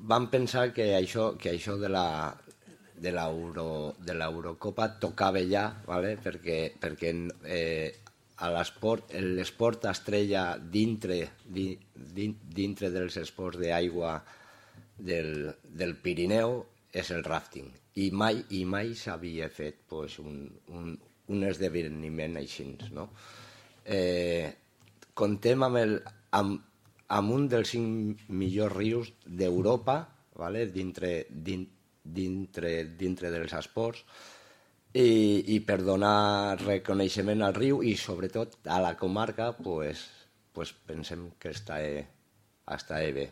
vam pensar que això de l'Eurocopa tocava ja, ¿vale? perquè a l'esport estrella dintre dels esports d'aigua del Pirineu és el rafting, i mai s'havia fet pues, un esdeveniment així, no? Contem amb un dels 5 millors rius d'Europa, ¿vale? dintre dels esports, i per donar reconeixement al riu i sobretot a la comarca, pues pensem que està bé.